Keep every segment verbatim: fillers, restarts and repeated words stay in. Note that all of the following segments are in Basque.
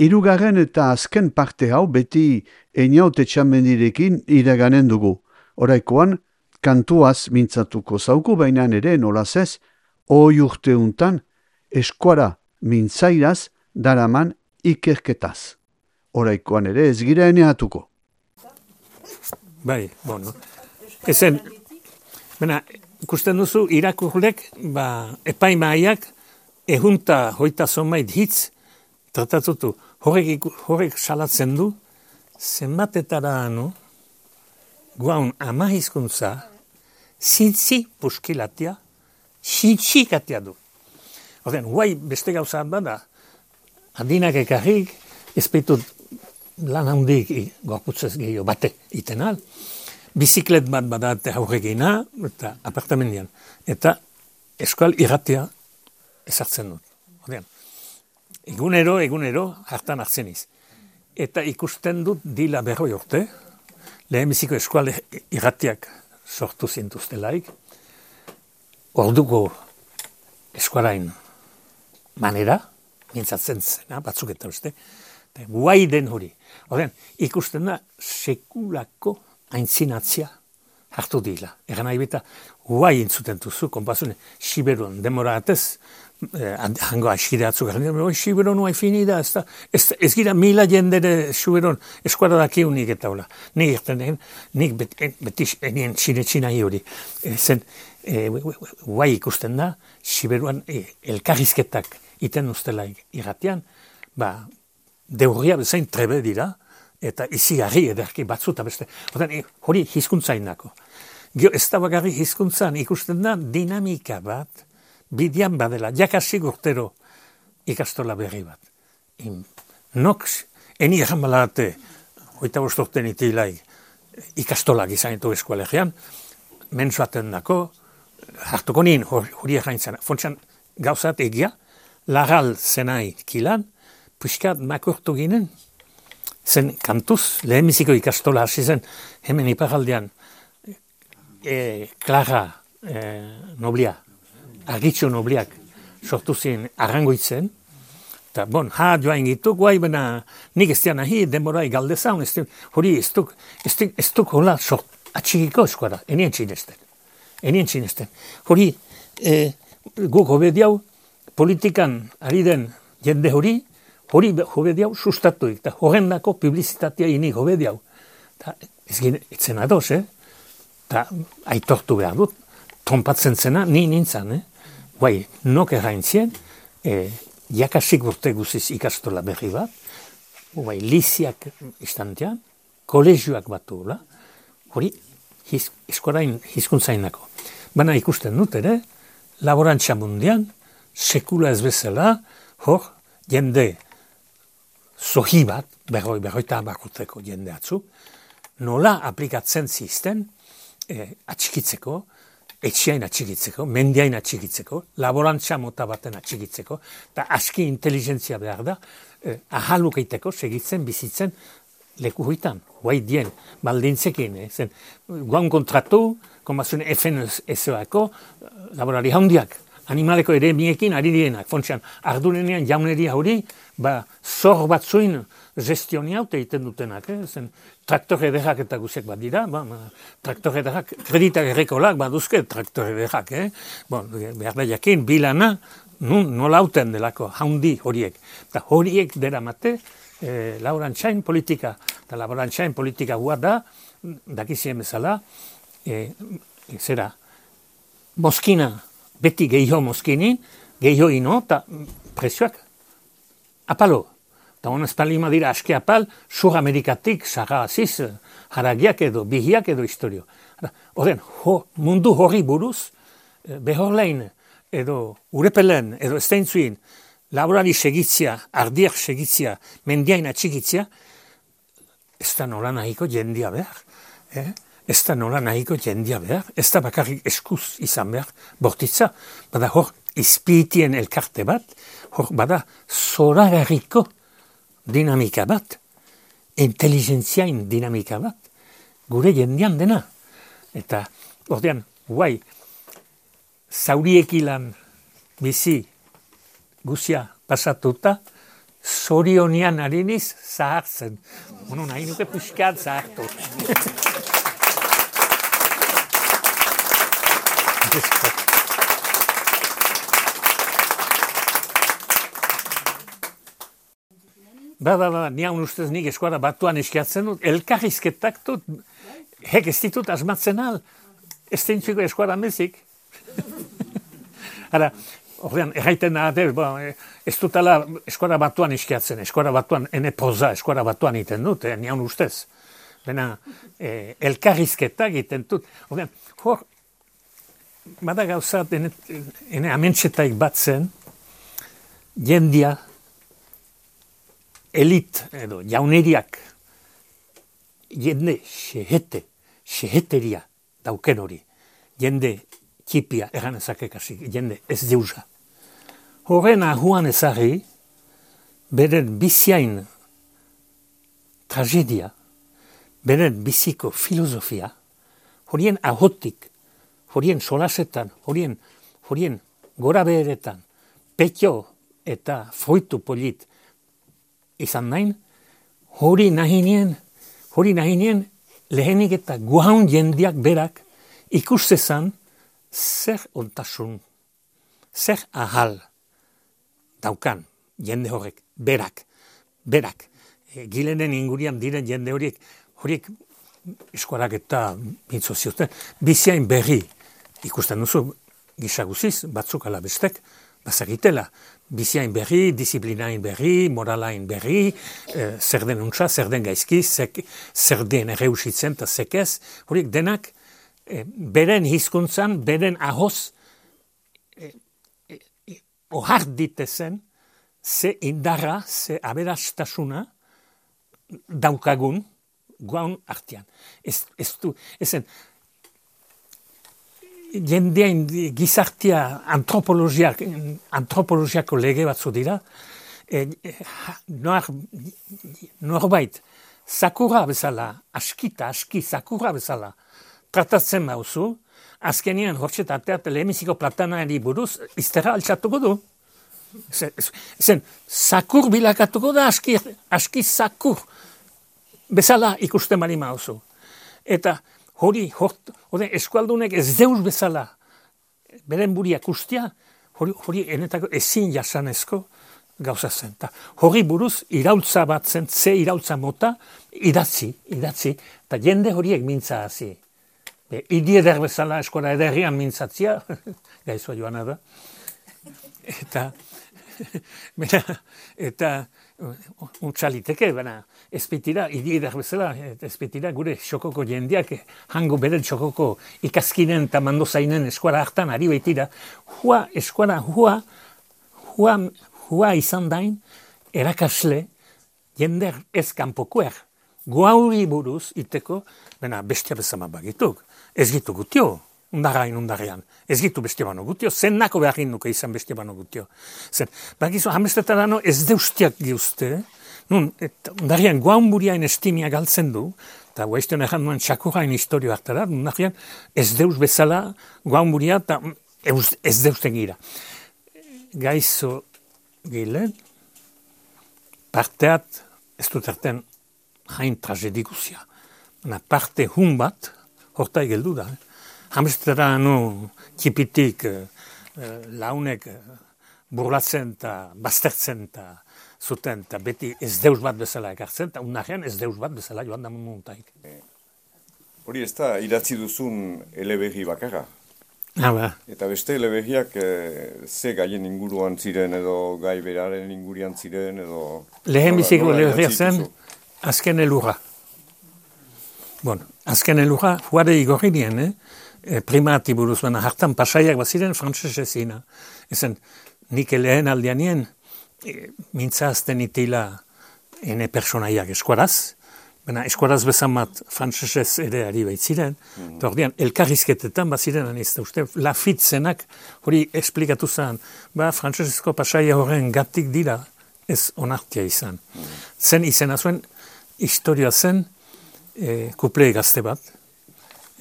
Hirugarren eta azken parte hau beti Einaut Etxamendirekin iraganen dugu. Oraikoan, kantuaz mintzatuko zauku bainan ere nolaz ez, hoi urte untan, eskuara mintzairaz daraman ikerketaz. Oraikoan ere ez gira eneatuko. Bai, bueno. Ezen, bena, ikusten duzu irakurlek, ba, epaimaiak, ehunta hoita zonbait hitz, tratatutu. Horrek, horrek salatzen du, zenbatetara anu, guaun ama hizkuntza, zintzi puskilatia, xintxikatia du. Horten, guai beste gauza bada, adinak ekarrik, ezpeitut lan handik gorputzez gehiago bate itenal, biziklet bat badate aurregina, eta apartamendian. Eta eskual irratia ezartzen dut. Horten, egunero, egunero, hartan hartzen iz. Eta ikusten dut dila berroi urte, lehenbiziko eskual irratiak sortu zintuztelaik, orduko eskualain manera, mintzatzen zena, batzuk eta beste, guai den hori. Horren, ikusten da sekulako aintzinatzia hartu dila. Egan nahi beta, guai intzuten duzu, konpazune, Siberuan demora atez, eh, hango askide atzuk, Siberuan guai fini da, ez, da, ez, ez gira mila jendere Siberuan eskuara dakiunik eta hola. Nik erten, nik bet, beti enien txine-txina hori. E, zen, e, guai ikusten da, Siberuan e, elkarrizketak iten ustelaik irratian, ba, deurria bezain trebe dira, eta izi harri ederki batzuta beste. Horten, hori hizkuntzainako. Gio, ez da bagarri hizkuntzan ikusten da dinamika bat, bidian badela, jakasik urtero ikastola berri bat. In, nox, eni egan balate, hoita bostorten itilai, ikastolak izanitu eskualegian, mensuaten dako, hartuko nien hori egaintzen. Fontxan gauzat egia, lagal zenai kilan, puskat makurtu ginen, zen kantuz, lehenbiziko ikastola hasi zen, hemen iparaldean, e, Klara e, Noblia, Argitxo Nobliak sortu zen arrangoitzen, eta bon, ha joain gitu, guai bena, nik ez dian ahi, denborai galdezaun, ez hori ez duk, ez duk, ez duk hola sort, atxikiko eskuara, enien txinesten, enien txinesten. Hori, e, guk hobediau, politikan ari den jende hori, hori hobediau sustatuik, eta horrendako publizitatea inik hobediau. Ez etzen adoz, eh? Eta aitortu behar dut, trompatzen zena, ni nintzen, eh? Guai, nok erraintzien, eh, jakasik urte guziz ikastola berri bat, guai, liziak istantean, kolegioak batu, la? Hori, hiz, eskorain hizkuntzainako. Baina ikusten dut, ere, laborantza mundian, sekula ez bezala, hor, jende, zohi bat, berroi, berroita bakurteko jende atzu, nola aplikatzen zizten eh, atxikitzeko, etxiain atxikitzeko, mendiain atxikitzeko, laborantza mota baten atxikitzeko, eta aski inteligentzia behar da, eh, ahalukeiteko segitzen, bizitzen leku hoitan, guai dien, baldintzekin, eh, zen, guan kontratu, konbazune F N S O-ako, laborari handiak, animaleko ere miekin ari dienak, fontxean, ardunenean jauneria hori, ba, zor batzuin gestionia haute egiten dutenak, eh? Zen, traktore ederrak eta guziak bat dira, ba, ba, traktore ederrak, kreditak errekolak baduzke traktore ederrak, eh? Bon, behar da jakin, bilana, nun, nola hauten delako, haundi horiek. Eta horiek dera mate, eh, laborantzain politika, eta laborantzain politika gua da, dakizien bezala, eh, zera, moskina, beti gehiago moskini, gehiago ino, eta prezioak apalo. Eta honez palima dira aski apal, sur Amerikatik, sarra aziz, haragiak edo, bihiak edo historio. Horren, ho, mundu horri buruz, behorlein, edo urepelen, edo esteintzuin, laborari segitzia, ardiak segitzia, mendiain atxikitzia, ez da nola nahiko jendia behar. Eh? Ez da nola nahiko jendia behar, ez da bakarrik eskuz izan behar, bortitza, bada hor izpitien elkarte bat, hor bada zoragarriko dinamika bat, inteligentziain dinamika bat, gure jendian dena. Eta, ordean, guai, zauriekilan bizi guzia pasatuta, Zorionian ariniz zahartzen. Bueno, nahi nuke pixkat zahartu. Ba, ba, ba, nian ustez nik Eskora Batuan eskiatzen dut, elkarrizketak dut, hek ez ditut asmatzen al, ez dintziko Eskora mezik. Hara, ordean, erraiten da, ez dutala Eskora Batuan eskiatzen, Eskora Batuan, ene poza, Eskora Batuan iten dut, eh, nian ustez. Bena, eh, elkarrizketak iten dut. Ordean, hor, bada gauza, ene, ene amentxetaik batzen, jendia, elit edo jauneriak jende xehete, xeheteria dauken hori, jende txipia egan ezakekasi, jende ez deusa. Horren ahuan ezari, beren biziain tragedia, beren biziko filosofia, horien ahotik, horien solasetan, horien, horien gora beheretan, petio eta fruitu polit, izan nahin, hori nahinien, hori nahinien lehenik eta guaun jendiak berak ikustezan zer ontasun, zer ahal daukan jende horrek, berak, berak. E, gilenen ingurian diren jende horiek, horiek eskorak eta mintzo zioten, biziain berri ikusten duzu, gisaguziz, batzuk ala bestek, bazagitela, biziain berri, disiplinain berri, moralain berri, eh, zer den untsa, zer den gaizki, zek, zer den erreusitzen eta zekez, horiek denak eh, beren hizkuntzan, beren ahoz eh, eh, ohar ditezen, ze indarra, ze aberastasuna daukagun guaun artean. Ez, ez du, ezen, jendean gizartia antropologiak, antropologiako lege batzu dira, e, e, nor, norbait, sakurra bezala, askita, aski, sakurra bezala, tratatzen mauzu, azkenean hortxet arteat lehemiziko platanari buruz, izterra altxatuko du. Zen, sakur bilakatuko da, aski, aski sakur bezala ikusten bali mauzu. Eta hori, hori eskualdunek ez deus bezala, beren buriak ustia, hori, hori enetako ezin jasanezko gauza zen. Ta, hori buruz iraultza bat zen, ze iraultza mota, idatzi, idatzi, eta jende horiek mintza hazi. Be, idi eder bezala eskola ederrian mintzatzia, gaizua joana da. Eta, bera, eta, untxaliteke, baina ezpetira, idi eder bezala, ezpetira gure xokoko jendeak, hango beren xokoko ikaskinen eta mandozainen eskuara hartan ari baitira, hua eskuara, hua, hua, hua izan dain, erakasle, jender ez kanpokoer, guauri buruz iteko, baina bestia bezama bagituk, ez gitu gutio, undarain undarean, ez gitu bestia bano gutio, zen nako beharin nuke izan bestia bano gutio. Zen, bakizu, hamestetarano ez deustiak giuzte, nun, undarean guaun buriain estimia galtzen du, eta guaizten erran nuen txakurain historio hartara, undarean ez deus bezala guaun buria, eta ez deusten gira. Gaizo gilen, parteat, ez dut erten hain tragediguzia. Parte hun bat, hortai geldu da, eh? Hamestera nu txipitik eh, launek eh, burlatzen eta baztertzen eta zuten eta beti ez deus bat bezala ekartzen eta unajean ez deus bat bezala joan da muntaik. Hori ez da idatzi duzun eleberri bakarra. Ah, ba. Eta beste eleberriak eh, ze gaien inguruan ziren edo gai beraren ingurian ziren edo... Lehen biziko eleberria zen azken elurra. Bueno, azken elurra huare igorri dien, eh? Primati buruz, baina hartan pasaiak baziren frantzesezina. Ezen, nik lehen aldeanien e, mintzazten itila ene personaiak eskuaraz, baina eskuaraz bezan bat frantzesez ere ari baitziren, mm -hmm. Ordean, elkarrizketetan baziren, ez da uste, lafitzenak hori esplikatu zen, ba, frantzesezko pasaia horren gatik dira ez onartia izan. Mm -hmm. Zen izena zuen, historia zen, e, kuple gazte bat,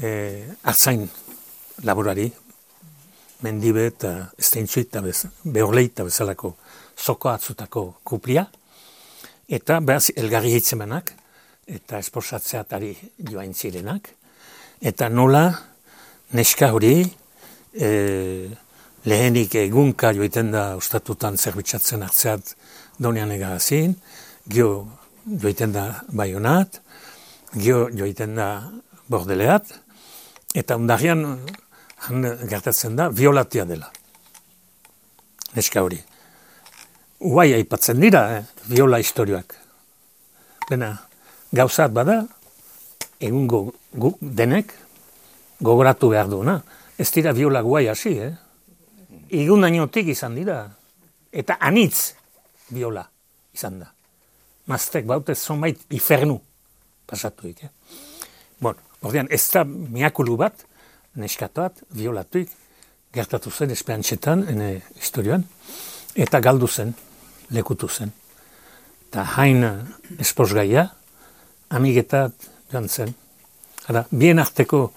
Eh, artzain laborari, mendibe eta esteintzuit eta behorleit eta bezalako zoko atzutako kuplia, eta behaz elgarri hitzemanak, eta esposatzeatari joain zirenak, eta nola neska hori e, lehenik egunka joiten da ostatutan zerbitzatzen hartzeat donean egazin, gio joiten da Baionat, gio joiten da Bordeleat, eta ondarian gertatzen da violatia dela. Neska hori. Uai aipatzen dira, eh, viola historioak. Bena, gauzat bada, egungo gu, denek gogoratu behar duena. Ez dira viola guai hasi, eh? Igun dainotik izan dira. Eta anitz viola izan da. Maztek bautez zonbait ifernu pasatuik, eh? Bon, ordean, ez da miakulu bat, neskatoat, violatuik, gertatu zen esperantxetan, ene historioan, eta galdu zen, lekutu zen. Eta hain esposgaia, amigetat joan zen. Hara, bien arteko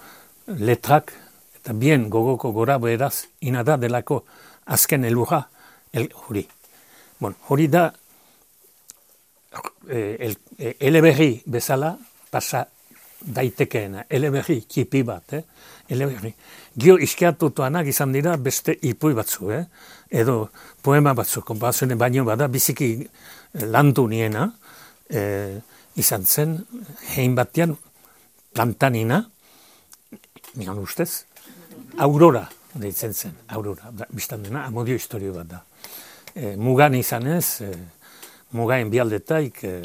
letrak, eta bien gogoko gora beraz, inada delako azken elurra, el, hori. Bon, hori da, el, el, eleberri bezala, pasa daitekeena, eleberri kipi bat, eh? Eleberri. Gio iskiatutuanak izan dira beste ipui batzu, eh? Edo poema batzu, konparazioen baino bada, biziki landu niena, eh, izan zen, hein batean, plantanina, nian ustez, Aurora deitzen zen, Aurora, biztan dena, amodio historio bat da. Eh, mugan izanez, eh, mugain bialdetaik, eh,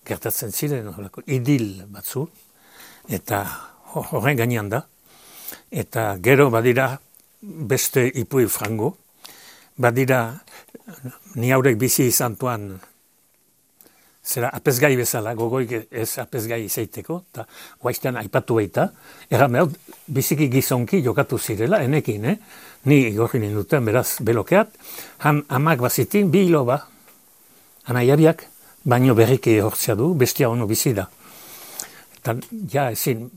gertatzen ziren, horreko, idil batzu, eta horren gainean da, eta gero badira beste ipui frango, badira ni haurek bizi izan tuan, zera apezgai bezala, gogoik ez apezgai izaiteko, eta guaiztean aipatu baita, erran behar, biziki gizonki jokatu zirela, enekin, eh? Ni igorri ninduten, beraz, belokeat, han amak bazitin, bi hilo ba, anaiabiak, baino berriki hortzea du, bestia ono bizi da. Eta, ja, ezin,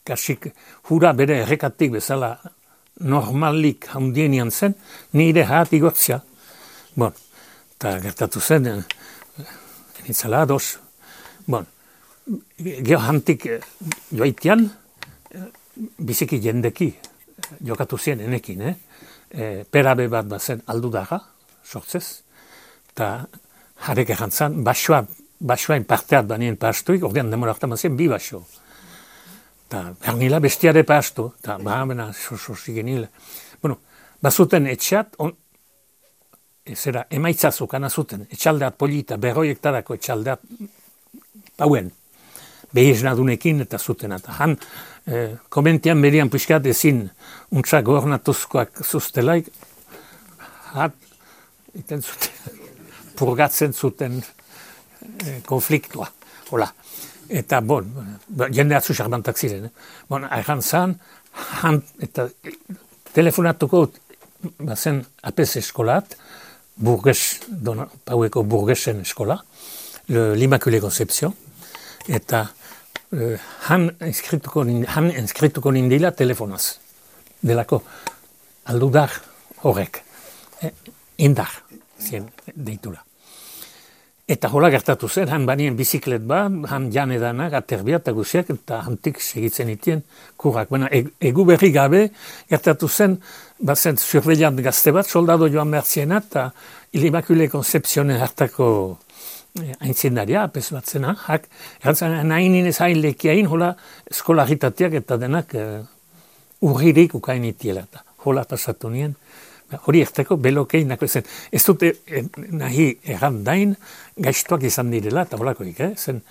kasik, hura bere errekatik bezala normalik handienian zen, nire haat igortzea. Bon, eta gertatu zen, enitzala ados. Bon, geho hantik joaitian, biziki jendeki jokatu zien enekin, eh? E, perabe bat bazen aldudaga, sortzez, eta jarek errantzan, basoa, basoain parteat banien pastuik, ordean demorakta mazien bi baso. Eta bernila bestiare pastu, eta bahamena sosi genile. Bueno, bazuten etxeat, on, zera, emaitzazuk anazuten, etxaldeat polita, berroiektarako etxaldeat pauen, behiznadunekin eta zuten. Eta han, eh, komentian berian pixkat ezin, untsa gornatuzkoak zuztelaik, hat, iten zuten, purgatzen zuten eh, konfliktua, hola. Eta, bon, jende atzu xarbantak ziren, eh? Bon, airan zan, han, eta telefonatuko bazen apez eskolat, burges, dona, paueko burgesen eskola, l'Immaculée Conception, eta eh, han inskrituko, han inskrituko nindila telefonaz, delako aldudar horrek, eh, indar, zien deitura. Eta hola gertatu zen, han banien biziklet bat, han jan edanak, aterbia eta guziak, eta hantik segitzen itien kurrak. Baina, egu berri gabe gertatu zen, bazen surveillant gazte bat, soldado joan bertziena, eta l'Immaculée Conceptionen hartako aintzindaria, apes bat zena, hak, errantzan, nahin inez hain lekiain, hola eskola agitatiak eta denak uh, urririk ukain itiela. Hola pasatu nien. Hori erteko belokei nako zen. Ez dute eh, nahi erran dain gaiztuak izan direla, eta holakoik, eh? Zen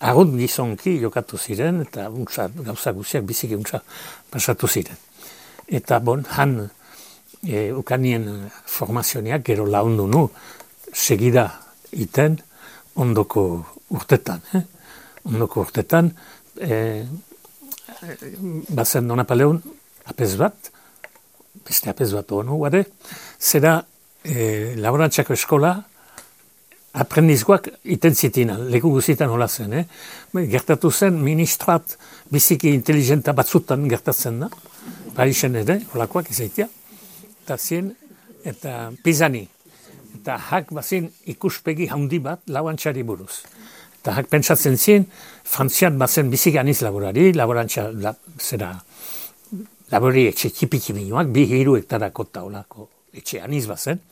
arrut gizonki jokatu ziren, eta untsa, gauza guziak biziki untsa pasatu ziren. Eta bon, han e, ukanien formazioniak gero laundu nu, segida iten ondoko urtetan. Eh? Ondoko urtetan, e, bazen Don Napoleon apez bat, beste apez bat honu, guade, zera e, laborantzako eskola aprendizkoak iten zitina, leku guzitan hola zen, eh? Gertatu zen, ministrat biziki inteligenta batzutan gertatzen da, Parisen ere, holakoak izaitia, eta zien, eta Pisani, eta eta hak bazin ikuspegi handi bat laborantxari buruz. Eta hak pentsatzen zien, Frantzian bazen bizik aniz laborari, laborantxa la, zera labori etxe txipi-txipinoak, bi hiru hektarako taulako etxe aniz bazen.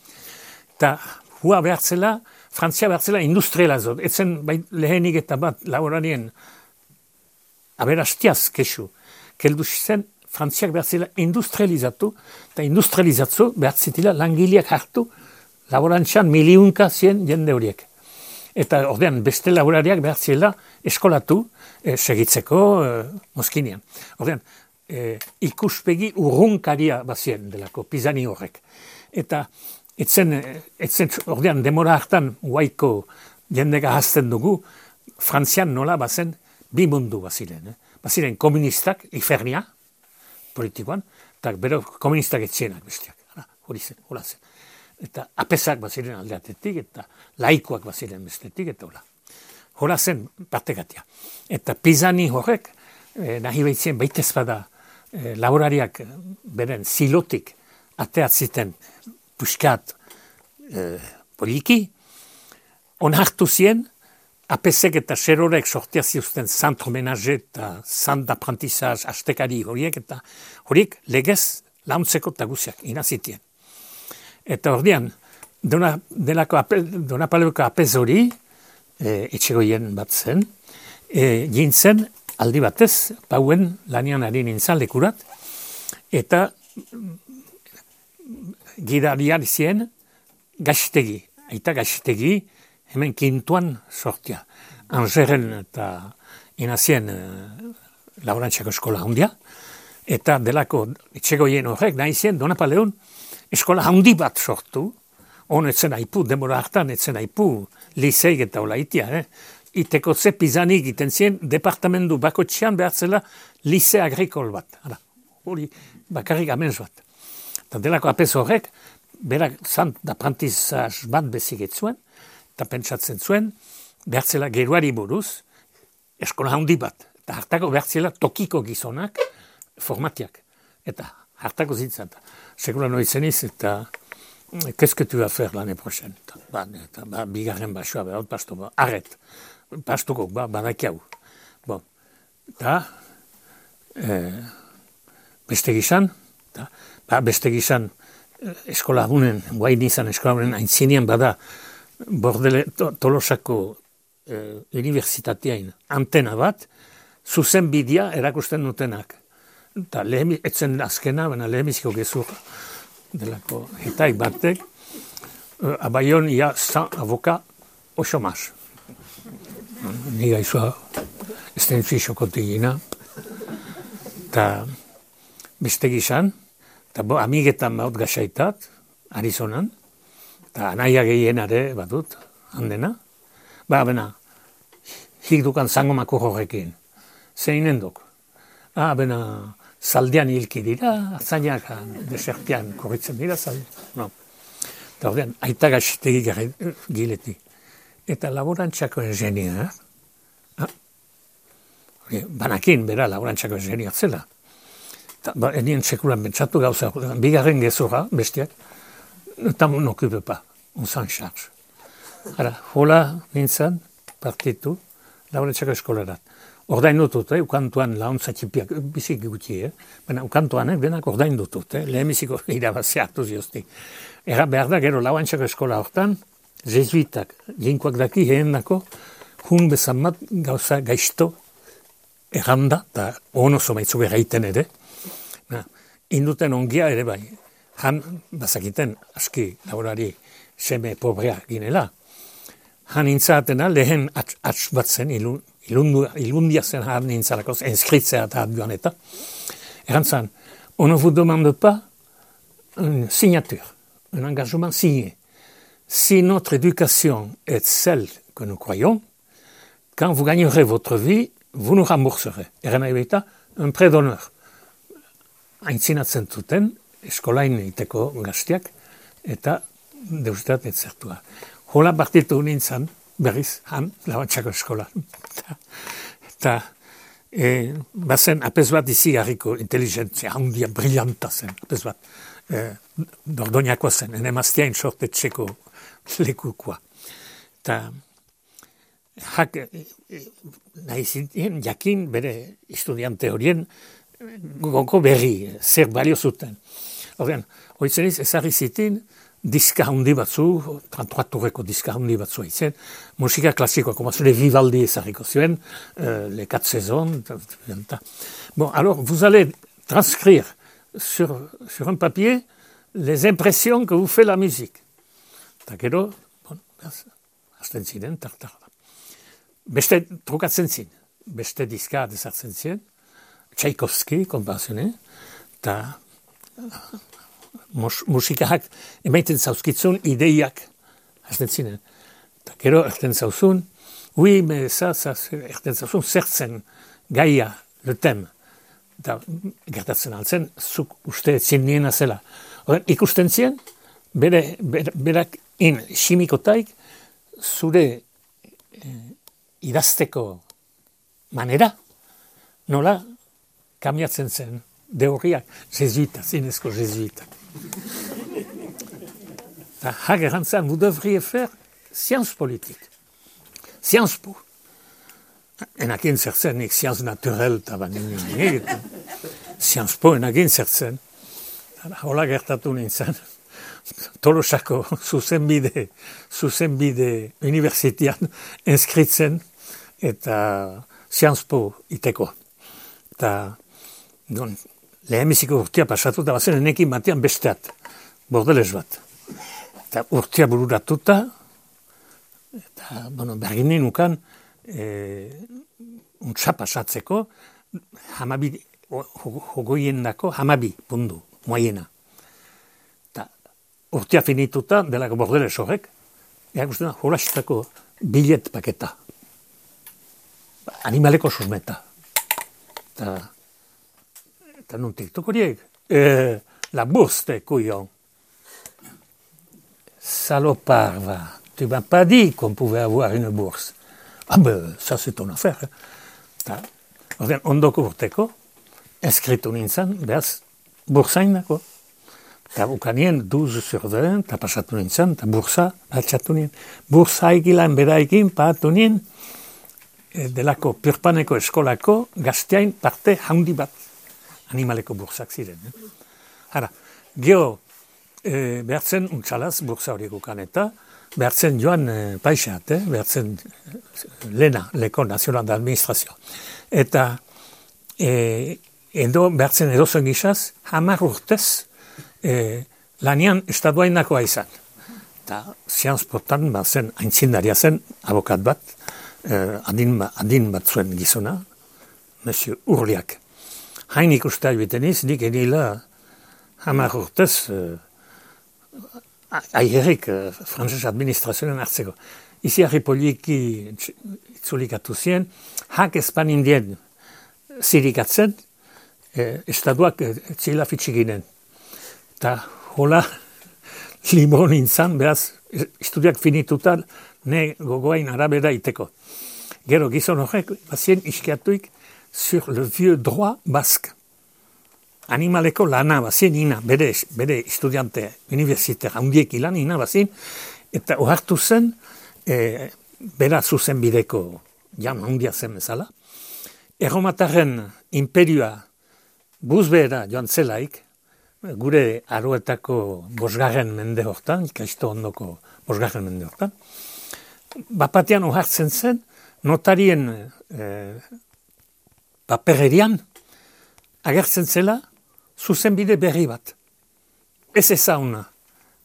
Eta hua behartzela, Frantzia behartzela industriela zot. Etzen bai, lehenik eta bat laborarien aberastiaz kesu. Keldu zen, Frantziak behartzela industrializatu, eta industrializatzu behartzitila langileak hartu laborantxan miliunka zien jende horiek. Eta ordean beste laborariak behartzela eskolatu e, segitzeko e, Moskinean. Ordean, e, ikuspegi urrunkaria bazien delako, Pisani horrek. Eta etzen, etzen ordean demora hartan guaiko jendega hazten dugu, Frantzian nola bazen bi mundu baziren. Eh? Baziren komunistak, ifernia, politikoan, eta bero komunistak etzienak bestiak. Hori zen, hola zen. Eta apesak baziren aldeatetik, eta laikoak baziren bestetik, eta hola. Hola zen partekatia. Eta Pisani horrek, eh, nahi behitzen baitez bada, eh, laborariak beren zilotik ateatziten puskat eh, poliki, onartu zien, apesek eta serorek sortia ziuzten zantro menaje eta zant apprentizaz astekari horiek, eta horiek legez launtzeko taguziak inazitien. Eta ordean, dona, delako ape, dona paleko apez hori, e, etxegoien bat zen, e, gintzen aldi batez, pauen lanian ari nintzen lekurat, eta gidarian zien gaxitegi, aita gaxitegi, hemen kintuan sortia. Angeren eta inazien e, laborantxako eskola handia, eta delako etxegoien horrek nahi zien Donapaleon eskola handi bat sortu, hon etzen haipu, demora hartan etzen haipu, liseik eta olaitia, eh? Itekotze Pisani egiten zien, departamentu bakotxean behartzela lise agrikol bat. Hala, hori bakarrik amens bat. Eta delako apez horrek, berak zant d'aprentizaz bat bezigetzuen, eta pentsatzen zuen, behartzela geruari buruz, eskola handi bat. Eta hartako behartzela tokiko gizonak formatiak. Eta hartako zintzen. Sekula noitzeniz eta qu'est-ce que tu vas faire l'année prochaine? Ba, eta, ba, bigarren basoa, behar, pasto, ba, arret. Pastuko, ba, badakiau. Bon. Eta, eh, beste gizan, eta, ba, beste gizan eskola abunen, guain izan eskola abunen, aintzinean bada, bordele, to, tolosako eh, universitateain antena bat, zuzen bidea erakusten dutenak. Eta lehen, etzen azkena, baina lehenbiziko gezur delako hitai batek, uh, abaion ia san avoka o chomaz. Ni gaizua ez den fixokotik gina. Eta beste gizan, eta bo amigetan baut gaxaitat, Arizonan, eta anaia gehienare badut, handena. Ba, bena, hik dukan zangomako horrekin. Zeinen duk. Ah, bena, zaldean hilki dira, atzainak desertian korritzen dira, zaldean. No. Eta ordean, aita gaxitegi gileti. Eta laborantxako ingenier, ah, banakin, bera, laborantxako ingenier zela. Eta, ba, enien sekulan bentsatu gauza, bigarren gezura, bestiak, eta mon okupe pa, on s'en charge. Ara, hola nintzen, partitu, laborantxako eskolarat. Ordain dutut, eh? Ukantuan launtza txipiak, bizik guti, eh? Baina ukantuan, eh? Benak ordain dutut, eh? Lehemiziko irabazia hartu ziozti. Era behar da, gero lauantxako eskola hortan, jesuitak, jinkoak daki, heen dako, hun bezan bat gauza gaizto erranda, eta ono zomaitzu berraiten ere. Na, induten ongia ere bai, han bazakiten aski laborari seme pobrea ginela. Han intzatena lehen atx bat zen ilun, Ilundu, ilundia zen har nintzalakoz, enskritzea eta joan eta. Erantzan, on ne vous demande pas une signature, un engagement signé. Si notre éducation est celle que nous croyons, quand vous gagnerez votre vie, vous nous rembourserez. Eran nahi baita, un prêt d'honneur. Aintzinatzen zuten, eskolain iteko gaztiak, eta deustat etzertua. Hola partitu nintzen, berriz, han, labantzako eskola. Eta, e, bazen, apez bat izi harriko inteligentzia, handia, brillanta zen, apez bat, e, dordoñako zen, ene maztiain sortetxeko lekukoa. Eta jak, nahi zitien, jakin bere estudiante horien goko berri, zer balio zuten. Horrean, hoitzeniz ezarri zitin, diska handi batzu, trantuaturreko diska handi batzu haitzen, musika klasikoa, komazule Vivaldi ezarriko zuen, euh, les quatre saisons. Bon, alors, vous allez transcrire sur, sur un papier les impressions que vous fait la musique. Eta gero, bon, hasten ziren, tartar. Beste trukatzen zin, beste diska desartzen ziren, Tchaikovsky, konpazione, eta mus, musikak emaiten zauzkitzun ideiak hasten zinen. Eta gero, erten zauzun, oui, mais ça, ça, erten zauzun zertzen gaia, le thème. Eta gertatzen altzen, zuk uste zin niena zela. Horren, ikusten zien, bere, bere, berak in simikotaik, zure eh, idazteko manera, nola kamiatzen zen, deurriak, jesuita, zinezko jesuita. Eta hagerantzan, vous devriez faire science politique. Science po. Enakin zertzen, nik science naturel, eta banin, science po enakin zertzen. Hola gertatu nintzen, Tolosako zuzenbide, zuzenbide universitean inskritzen, eta science po iteko. Eta don, lehenbiziko urtia pasatu, eta bazen enekin batean besteat, bordelez bat. Eta urtia bururatuta, eta bueno, berginen nukan, e, untsa pasatzeko, hamabi, hogoien dako, hamabi pundu, moiena. Eta urtia finituta, delako bordelez horrek, ea guztena, horastako bilet paketa. Animaleko susmeta. Eta, eta nontik tokoriek, eh, la bourse de couillon. Salopard, va. Tu m'as pas dit qu'on pouvait avoir une bourse. Ah ben, ça c'est ton affaire. Eta, ordean, ondoko urteko, eskritu nintzen, behaz, bursain dako. Eta bukanien, douze sur vingt, eta pasatu nintzen, eta bursa, altxatu nien. Bursa egilan beraikin, paatu nien, delako Pirpaneko eskolako gazteain parte handi bat animaleko bursak ziren. Eh? Hara, geho e, behartzen untxalaz bursa horiek ukan eta behartzen joan e, paixat, eh? Behartzen lena, leko nazional de administrazio. Eta e, edo behartzen edozen gizaz, hamar urtez e, lanian estaduainakoa izan. Eta science portan bazen aintzindaria zen abokat bat, Uh, adin, adin bat zuen gizona, Monsieur Urliak. Hain ikustea biteniz, nik enila hamar urtez uh, aiherik uh, frantzes administrazioen hartzeko. Izi harri poliki itzulikatu zien, hak espan indien zirikatzen, eh, estaduak eh, txila fitxiginen. Eta hola libro nintzen, beraz, estudiak finitutan, ne gogoain arabera iteko. Gero gizon horrek, bazien iskiatuik sur le vieux droit basque. Animaleko lana bazien ina, bere, bere estudiante universiter handiek ilan ina bazien, eta ohartu zen, e, bera zuzen bideko jan handia zen bezala. Erromatarren imperioa buzbera joan zelaik, gure aroetako bosgarren mende hortan, ikaisto ondoko bosgarren mende hortan, bapatean ohartzen zen, notarien eh, papererian agertzen zela zuzenbide berri bat. Ez ezauna.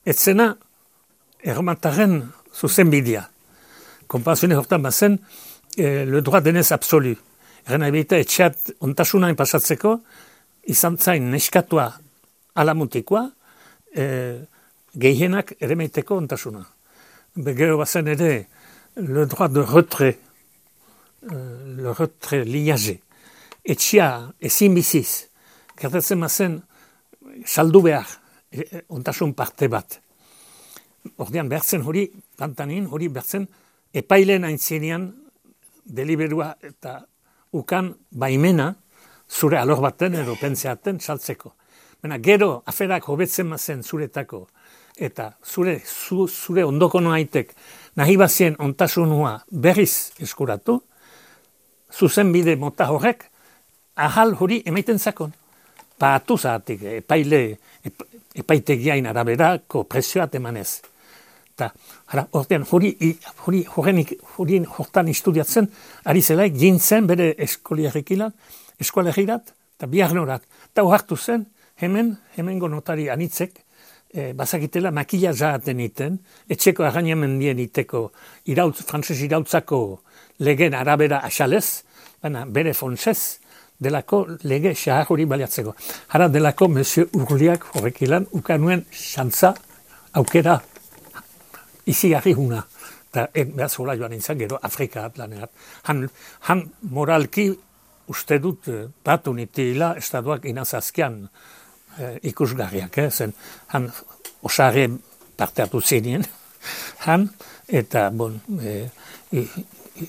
Ez zena erromatarren zuzenbidea. Konpansione hortan bazen eh, le droit denez absolu. Erren abita etxeat ontasunain pasatzeko izan zain neskatua alamutikoa eh, gehienak ere meiteko ontasuna. Begero bazen ere le droit de retrait, euh, le retrait liagé. Etxia ezin biziz, gertatzen mazen saldu behar, e, ontasun parte bat. Ordean behartzen hori, pantanin hori behartzen, epailen aintzinean deliberua eta ukan baimena zure alor baten edo pentseaten saltzeko. Bena, gero aferak hobetzen mazen zuretako eta zure, zu, zure ondoko noaitek nahi bazien ontasunua berriz eskuratu, zuzen bide mota horrek, ahal hori emaiten zakon. Paatu zahatik, epaile, ep, epaitegiain araberako presioat emanez. Eta, hara, ordean, hori, hori, horrenik, hori hortan istudiatzen, ari zelaik, gintzen bere eskoliarrikilan, eskualegirat, eta biarnorat. Eta hartu zen, hemen, hemengo notari anitzek, e, bazakitela makila zahaten iten, etxeko arrainamendien iteko, irautz, frantzes irautzako legen arabera asalez, baina bere fontsez, delako lege xahar hori baliatzeko. Hara delako Monsieur Urliak horrekilan ukanuen xantza aukera izigarri huna. Eta behaz hola joan nintzen gero Afrika atlaneat. Han, han moralki uste dut batu nitila estatuak inazazkian eh, ikusgarriak. Eh? Zen han osare parte hartu zinien. Han eta bon, eh, i, i,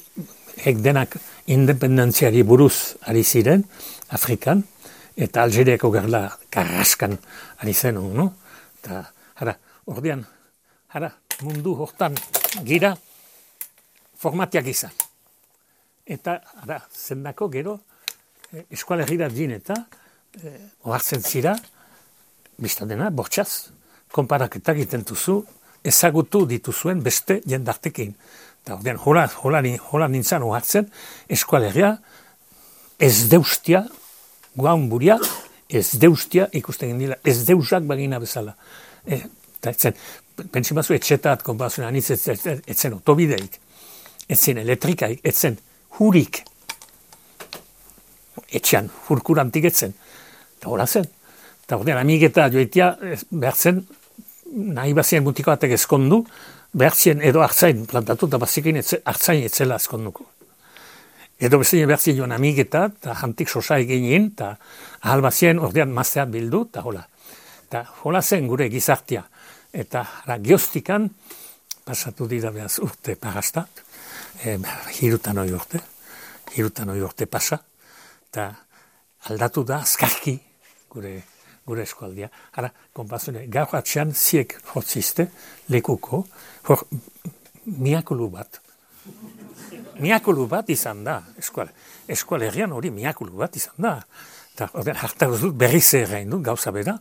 hek denak independentziari buruz ari ziren Afrikan, eta Algeriako gerla karraskan ari zen, no? Eta, hara, ordean, hara, mundu hortan gira formatiak izan. Eta, hara, zendako gero, eh, eskualegira din eta, eh, ohartzen zira, biztan dena, bortxaz, konparaketak egiten duzu, ezagutu dituzuen beste jendartekin. Eta ordean, hola, hola, hola nintzen ohartzen, eskualegia ez deustia, guaun buria, ez deustia ikusten gendila, ez deusak bagina bezala. E, eta etzen, pentsi bazu etxetat, konpazioan, anitz etzen, etzen otobideik, etzen elektrikaik, etzen hurik, etxean, hurkurantik etzen. Eta hola zen. Eta ordean, amigeta joitia, behar zen, nahi bazien mutiko batek ezkondu, behartzien edo hartzain plantatu, eta bazikin hartzain etzela azkonduko. Edo bezien behartzien joan amigeta, eta jantik sosa eginin, eta ahal bazien ordean mazteat bildu, eta hola. Eta hola zen gure gizartia. Eta ara, geoztikan, pasatu dira behaz urte pagastat, e, hirutan hoi urte, hirutan hoi urte pasa, eta aldatu da azkarki gure gure eskualdia. Hara, konpazune, gaur atxean ziek hotzizte, lekuko, hor, miakulu bat. Miakulu bat izan da, eskual. Eskualerian hori miakulu bat izan da. Eta, ordean, hartaz dut berriz errein dut, gauza bera,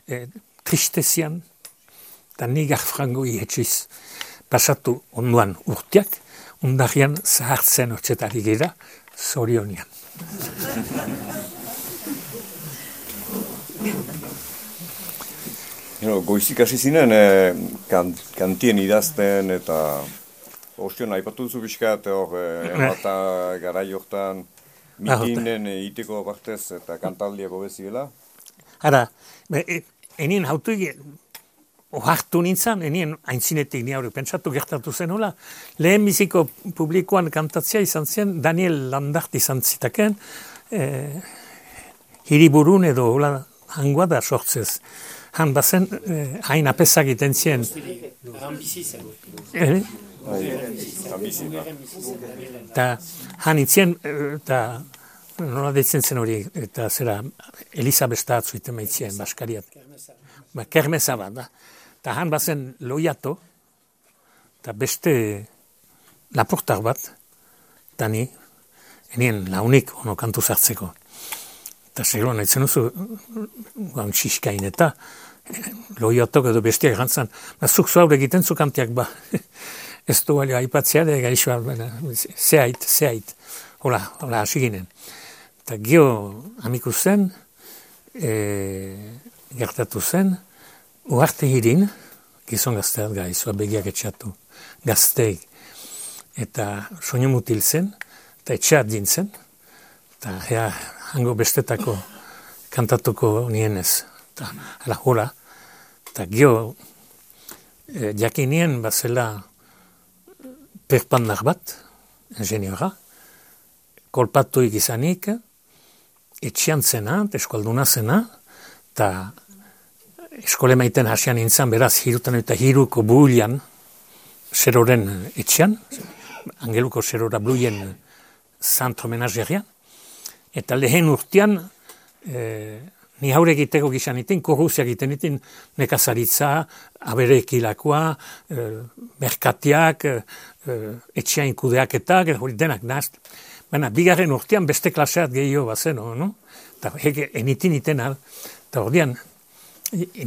e, tristezian, eta nigar frango ihetxiz, pasatu onduan urtiak, ondarian zahartzen hortzetari gira, zorionian. Hero, goizik hasi zinen, eh, kan, kantien idazten eta ostion aipatu duzu bizkat, hor, eh, bata garai hortan mitinen iteko partez eta kantaldiako beziela? Hara, enien hautu ohartu nintzen, enien aintzinetik ni hori pentsatu gertatu zen hola, lehen biziko publikoan kantatzea izan zen, Daniel Landart izan zitaken, eh, hiriburun edo hola, hangoa da sortzez. Han bazen, eh, hain apezak iten zien. Eh? Eta han itzien, eta nola deitzen zen hori, eta zera Elizabeth atzuiten maitzien, baskariat. Ba, kermeza bat, da. Eta han bazen loiato, eta beste laportar bat, eta ni, enien launik ono kantu zartzeko. Eta seguro nahitzen duzu, guan txiskain eta loiotok edo bestiak gantzan, zuk zuaur egiten zu kantiak ba. Ez du balio aipatzea, de gaixoa, zehait, zehait, hola, hola, hasi ginen. Eta gio amiku zen, e, gertatu zen, uarte hirin, gizon gazteat gai, zua begiak etxatu, gazteik, eta soinu mutil zen, eta etxeat dintzen, eta ea, hango bestetako kantatuko nienez. Eta, ala, hola. Eta gio, e, jakinien bazela perpandar bat, ingeniora, kolpatuik izanik, etxian zena, eskualduna zena, eta eskole maiten hasian nintzen, beraz, hirutan eta hiruko bulian, zeroren etxian, angeluko zerora bluien zantro menazerian, eta lehen urtean, e, ni haure egiteko gizan itin, korruzia egiten itin, nekazaritza, aberekilakoa, e, merkatiak, e, etxeain kudeaketak, hori denak nazt. Baina, bigarren urtean beste klaseat gehiago bazen, no? Eta hege, enitin iten al, eta ordean,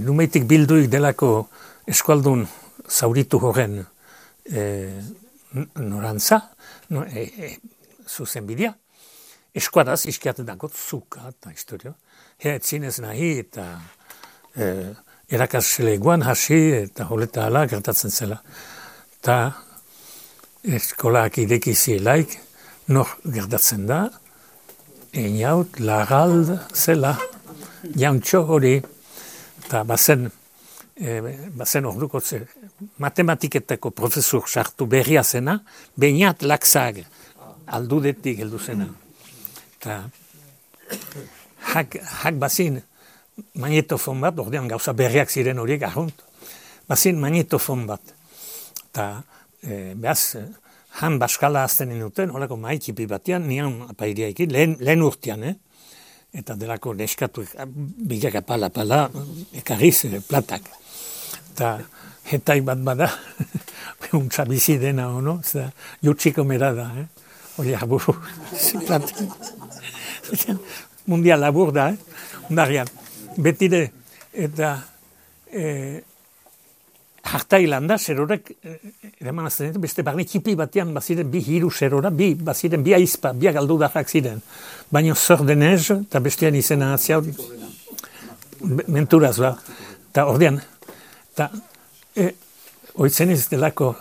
numeitik bilduik delako eskualdun zauritu horren e, norantza, no, e, e, zuzen bidea, eskuadaz iskiaten dago zuka eta historio. Hea etzinez nahi eta e, erakasleguan hasi eta holeta ala gertatzen zela. Eta eskolak idekizielaik nor gertatzen da, einaut lagald zela, jauntxo hori, eta bazen, e, bazen orduko ze, matematiketako profesor sartu berria zena, Beñat Laxag, aldudetik heldu zena. Eta hak, hak bazin magnetofon bat, ordean gauza berriak ziren horiek ahunt, bazin magnetofon bat. Eta e, behaz, han baskala azten inuten, holako maikipi batean, nian apairiaikin, lehen, lehen urtean, eh? Eta delako neskatu, bilak apala, apala, ekarriz, platak. Eta hetai bat bada, untza bizi dena, ono, eta jutxiko mera da, eh? Hori aburu, platak. Mundial labur da, eh? Undarian, betide, eta eh, hartai landa, zerorek, eraman azten, beste barne txipi batean baziren bi hiru zerora, bi, baziren bi aizpa, bi agaldu darrak ziren. Baina zor denez, eta bestean izena atzia, menturaz ba, eta ordean, eta e, oitzen ez delako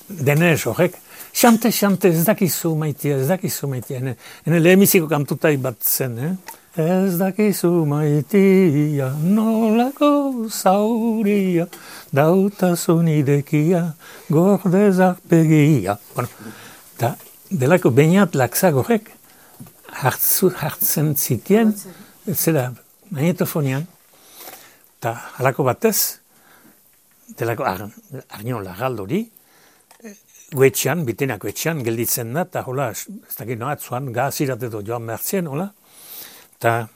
denez horrek, xante, xante, ez dakizu maitia, ez dakizu maitia, ene, ene lehemiziko kantutai bat zen, eh? Ez dakizu maitia, nolako zauria, dautazun idekia, gordezak pegia. Bueno, eta delako Beñat Laxag horrek hartzen zitien, zera magnetofonian, eta halako batez, delako arnion lagaldori, guetxean, bitenako etxean, gelditzen da, eta hola, ez dakit noa, zuan gazirat edo joan behartzen, hola, eta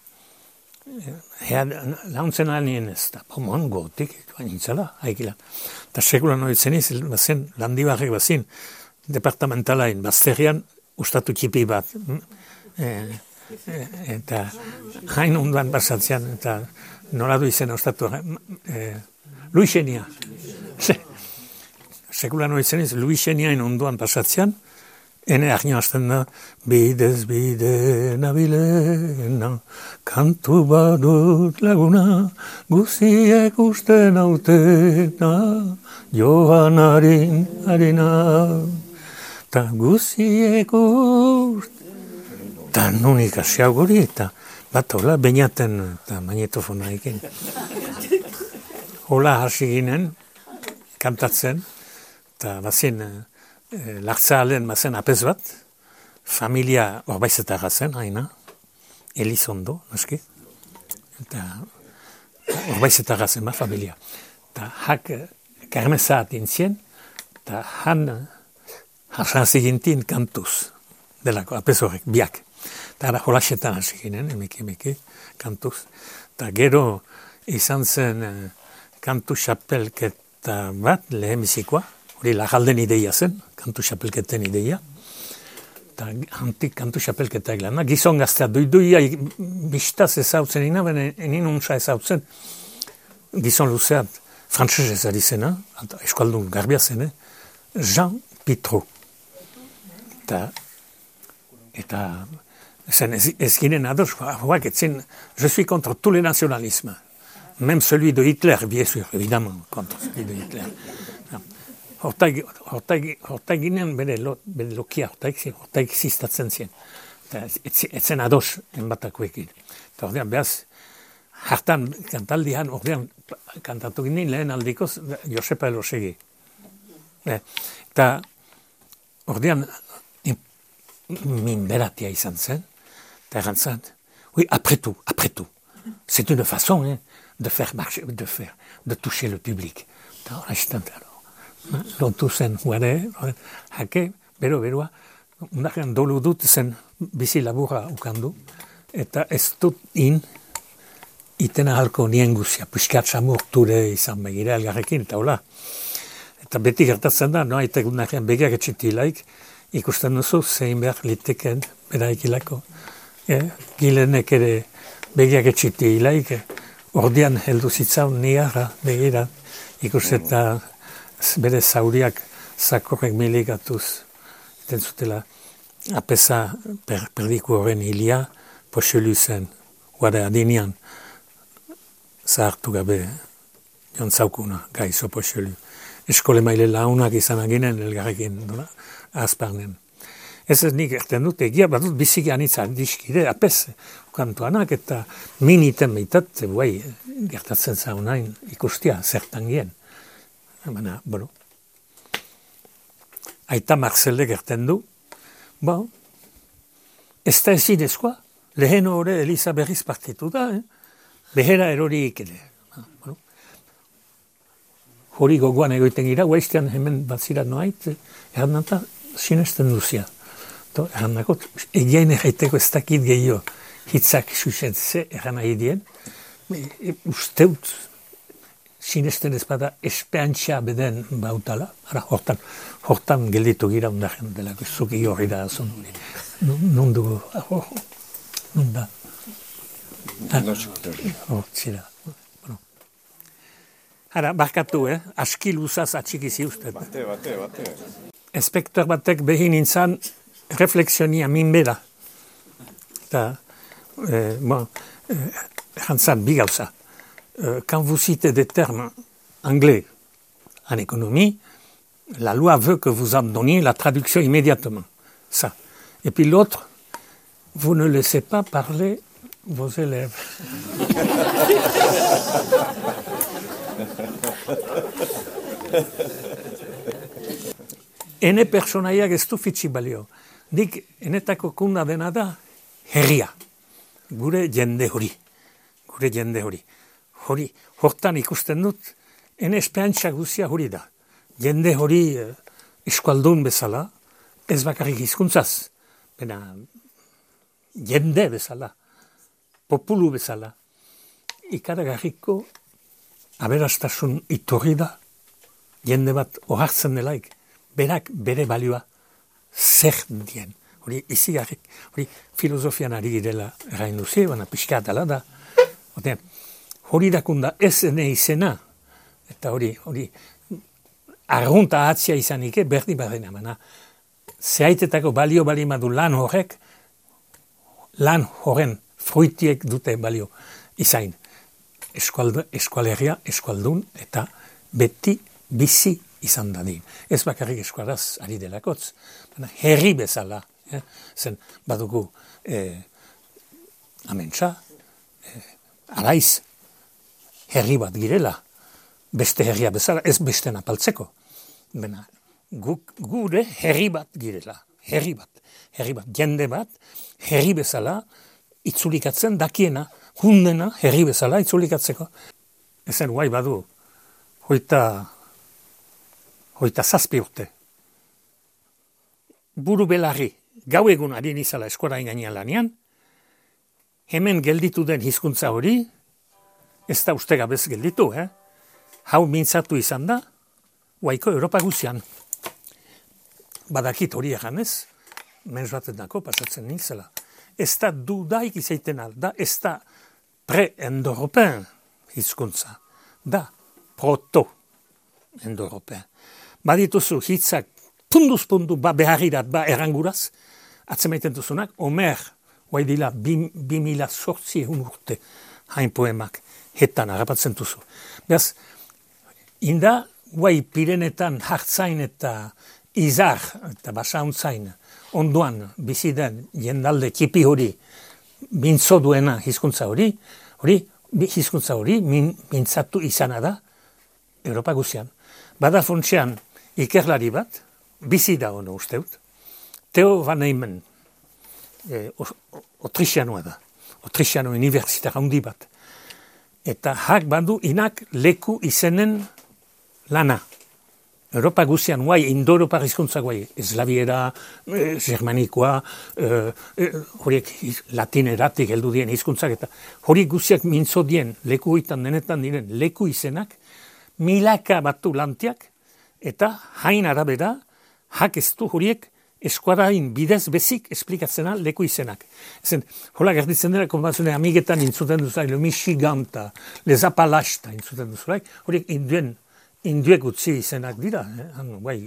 launtzen alnien ez, eta pomon gotik, nintzala, haikila. Eta sekulan horitzen iz, bazen, landibarrek bazin, departamentalain, bazterian, ustatu txipi bat. E, e, eta hain onduan basatzean, eta noradu izena ustatu, e, Luisenia. Sekulan horitzen iz, Luiseniain onduan basatzean, ene arnio hasten da, bidez bide nabilena, kantu badut laguna, guziek uste nautena, joan harin harina, ta guziek uste, ta nunik asiau guri, eta bat hola, Beñaten eta magnetofona ekin. Hola hasi ginen, kantatzen, eta bazin, E, Lartzalen mazen apez bat, familia horbaizetarra zen, haina, Elizondo, naski, eta horbaizetarra zen, ma, familia. Eta hak karmezat intzien, eta han harsan zigintin kantuz, delako apez horrek, biak. Eta ara holaxetan hasi ginen, emeki, emeki, kantuz. Eta gero izan zen kantu xapelketa bat, lehemizikoa, hori lagalden ideia zen, kantu xapelketen ideia. Eta antik kantu xapelketa eglana. Gizon gaztea duiduia bistaz ezautzen ina, baina enin untsa ezautzen. Gizon luzeat, frantzez ez ari zena, eskualdun garbia zen, Jean Pitro. Eta, eta zen ez, ez ginen ados, hoak etzen, je suis contre tout le nationalisme. Même celui de Hitler, bien sûr, évidemment, contre celui de Hitler. Hortaik ginen bere, lo, bere lokia, hortaik ziztatzen zien. Etzen ados enbatakoekin. Eta ordean behaz, hartan kantaldian, ordean kantatu ginen lehen aldikoz Josepa Elosegi. Eta ordean minberatia izan zen, eta erantzan, oui, après tout, après tout. C'est une façon hein, de faire marcher, de faire, de toucher le public. Eta horretan, lotu zen, guare, hake, bero, beroa, undakean dolu dut zen bizi laburra ukandu, eta ez dut in itena halko nien guzia, piskat samurture izan begira elgarrekin, eta hola. Eta beti gertatzen da, no, aitek nahian begiak etxitilaik, ikusten duzu, zein behar liteken beraikilako. E, gilenek ere begiak etxitilaik, ordian heldu zitzaun niara begira, ikusteta bere zauriak zakorrek miligatuz, eten zutela, apesa per, perdiku horren hilia, poxelu zen, guare adinean, zahartu gabe jontzaukuna, gaizo poxelu. Eskole maile launak izan aginen elgarrekin, dola, azparnen. Ez ez nik erten dut, egia bat dut biziki anitza dizkide, apes, kantuanak eta miniten behitat, guai, gertatzen zaunain ikustia, zertan gien. Baina, bueno, aita Marcelde gerten du, bo, ez da ezin ezkoa, lehen hori Elisa berriz partitu da, eh? Behera eroriik ere. Bueno, hori gogoan egoiten gira, guaiztean hemen batzira noait, errandanta sinesten duzia. Errandako, egiain erraiteko ez dakit gehiago hitzak susetze erran nahi dien, e, usteut sinesten ez bada espeantxa beden bautala, ara, hortan, hortan gelditu gira ondaren delako, zuki horri da azun hori. Nun dugu, nun da. Hortzira. Ara, barkatu, eh? Aski luzaz atxikizi uste. Bate, bate, bate. Espektor batek behin intzan refleksionia minbera. Eta, eh, bon, eh, jantzan, bi gauza. Euh, quand vous citez des termes anglais en économie, la loi veut que vous en donniez la traduction immédiatement. Ça. Et puis l'autre, vous ne laissez pas parler vos élèves. Ene pertsonaiak ez du fitxi balio. Nik enetako kunda dena da herria. Gure jende hori. Gure jende hori. Hori, hortan ikusten dut, ene espeantza guzia hori da. Jende hori eh, eskualdun bezala, ez bakarrik hizkuntzaz, bena jende bezala, populu bezala. Ikaragarriko aberastasun iturri da, jende bat ohartzen delaik, berak bere balioa zer dien. Hori izigarrik, hori filosofian ari girela erain duzi, baina pixka dela da. Otean, hori dakunda ez ene izena, eta hori, hori, arrunta atzia izanike, berdi barrena, mana, zehaitetako balio balimadu lan horrek, lan horren fruitiek dute balio izain. Eskualdu, eskualeria, eskualdun, eta beti bizi izan dadin. Ez bakarrik eskualaz ari delakotz, mana, herri bezala, eh? Zen badugu eh, amentsa, eh, araiz, herri bat girela, beste herria bezala, ez beste napaltzeko. Bena, guk, gure herri bat girela, herri bat, herri bat, jende bat, herri bezala, itzulikatzen dakiena, hundena, herri bezala, itzulikatzeko. Ezen guai badu, hoita, hoita zazpi urte. Buru belarri, gau egun ari nizala eskola ingainan lanean, hemen gelditu den hizkuntza hori, ez da uste gabez gelditu, eh? Hau mintzatu izan da, guaiko Europa guzian. Badakit hori eganez, menz baten dako pasatzen nintzela. Ez da dudaik izaiten alda, ez da pre-endoropen hizkuntza, da proto-endoropen. Badituzu hitzak punduz pundu ba beharrirat ba eranguraz, atzemaiten duzunak, Omer, guai dila, bi, bi mila sortzi egun urte hain poemak, hetan harrapatzen duzu. Beraz, inda, guai Pirenetan hartzain eta izar eta basauntzain onduan biziden jendalde kipi hori mintzo duena hizkuntza hori, hori hizkuntza hori min, mintzatu izana da Europa guzian. Bada funtsean ikerlari bat, bizi da ono usteut, Theo Van Eymen, e, Otrixianoa da, Otrixiano universitar handi bat. Eta hak badu inak leku izenen lana. Europa guzian, guai, Indo-Europar hizkuntza guai, eslaviera, eh, germanikoa, eh, eh, horiek latineratik heldu dien hizkuntzak, eta horiek guziak mintzo dien, leku hoitan denetan diren, leku izenak, milaka batu lantiak, eta hain arabera, hak ez du horiek eskuarain bidez bezik esplikatzena leku izenak. Ezen, hola gerditzen dira, konbazune amigetan intzuten duzulaik, le Michigan eta le Zapalasta intzuten duzulaik, horiek induen Induek utzi izenak dira, eh? Han, bai,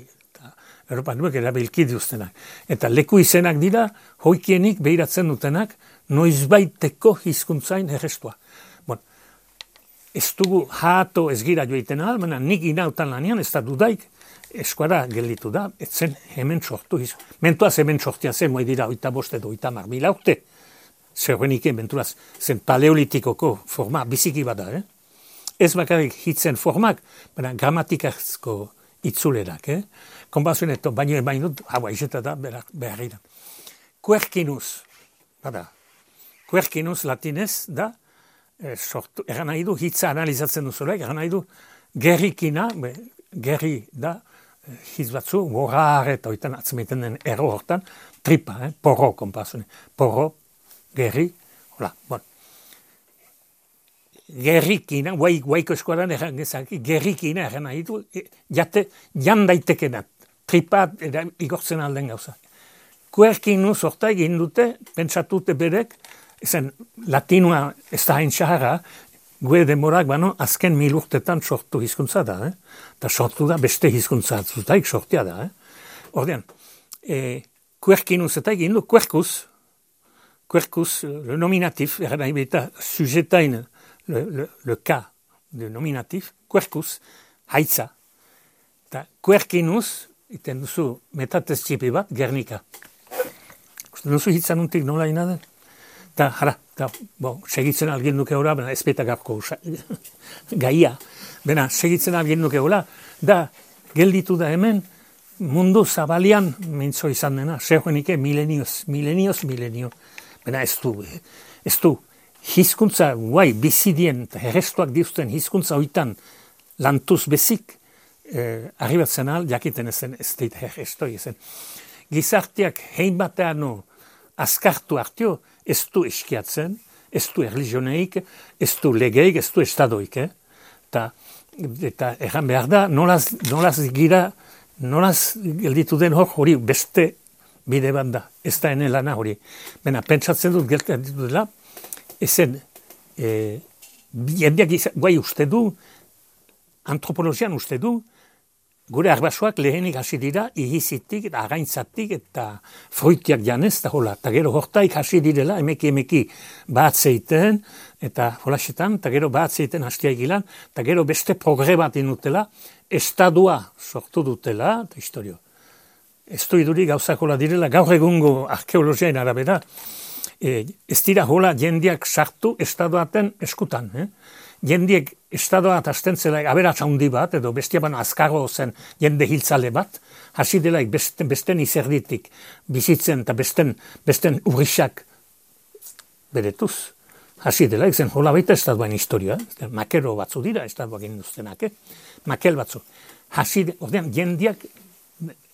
Europa nuek erabilki diuztenak. Eta leku izenak dira, hoikienik behiratzen dutenak, noizbaiteko hizkuntzain errestua. Bon, ez dugu hato ez gira joiten ahal, baina nik inautan lanean, ez da dudaik, eskuara gelditu da, etzen hemen sortu hizkuntza. Mentuaz hemen sortia zen, moi dira, oita boste do, oita mar, mila urte. Zerrenike, mentuaz, zen paleolitikoko forma biziki bada, eh? Ez bakarrik hitzen formak, baina gramatikazko itzulerak, eh? Konbazioneto, baino emain dut, hau aizeta da, behar da. Quercinus, bada, quercinus latinez da, eh, sortu, eran nahi du, hitza analizatzen duzulek, eran nahi du, gerrikina, be, gerri da, eh, hitz batzu, borrar eta oitan atzmeiten den erro hortan, tripa, eh? Porro, konbazione, porro, gerri, hola, bon. Gerrikina, guai, guaiko eskuaran erran gezak, gerrikina erran nahi du, jate, jan daitekenat, tripat igortzen alden gauza. Quercinus horta egin dute, pentsatute berek, ezen latinua ez da hain xahara, gue demorak bano, azken mil urtetan sortu hizkuntza da, eh? Eta sortu da beste hizkuntza zutaik sortia da, eh? Ordean, eh, Quercinus eta egin du, quercus, quercus, le nominatif, erran nahi beta, sujetain, Le, le, le cas de nominatif, quercus, haitza. Eta quercinus, iten duzu metatez txipi bat, Gernika. Usten duzu hitzan untik nola inaden? Eta, jara, eta, bo, segitzen algin duke hola, bena ezpeta garko gaia. Bena, segitzen algin duke hola, da, gelditu da hemen, mundu zabalian mintzo izan dena, zerrenike milenioz, milenioz, milenio. Bena, ez du, ez du, hizkuntza guai bizidien eta herrestuak diuzten hizkuntza hoitan lantuz bezik eh, arribatzen al, jakiten ezen ez deit herrestoi ezen. Gizarteak hein bateano azkartu hartio ez du eskiatzen, ez du erlijioneik, ez du legeik, ez du estadoik. Eh? Ta, eta erran behar da, nolaz, nolaz gira, nolaz gelditu den hor hori beste bide bat da, ez da ene lana hori. Bena, pentsatzen dut gelditu dela, ezen, eh, jendeak guai uste du, antropologian uste du, gure arbasoak lehenik hasi dira, ihizitik, againtzatik eta fruitiak janez, eta hola, eta gero hortaik hasi direla, emeki emeki batzeiten, eta holasetan, eta gero batzeiten hastia egilan, eta gero beste progre bat inutela, estadua sortu dutela, eta historio. Ez du iduri gauzakola direla, gaur egungo arkeologiaen arabera, E, ez dira hola jendiak sartu estadoaten eskutan. Eh? Jendiek estadoat hasten zelaik aberatsa handi bat, edo bestia bano azkargo zen jende hiltzale bat, hasi delaik besten, besten izerditik bizitzen eta besten, besten urrisak beretuz. Hasi delaik zen hola baita estadoan historia. Eh? Makero batzu dira estadoak induztenak. Eh? Makel batzu. Hasi, ordean jendiak